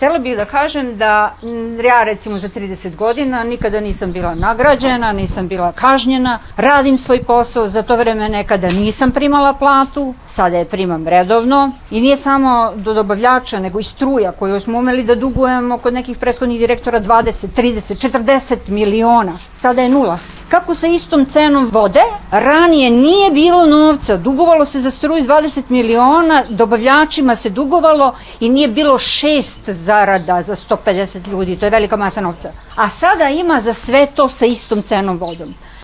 Htela bih da kažem da ja recimo za 30 godina nikada nisam bila nagrađena, nisam bila kažnjena, radim svoj posao, za to vreme nekada nisam primala platu, sada je primam redovno i nije samo do dobavljača, nego i struja koju smo umeli da dugujemo kod nekih prethodnih direktora 20, 30, 40 miliona, sada je nula. Kako sa istom cenom vode, ranije nije bilo novca, dugovalo se za struju 20 miliona, dobavljačima se dugovalo i nije bilo 6 zarada za 150 ljudi, to je velika masa novca. A sada ima za sve to sa istom cenom vodom.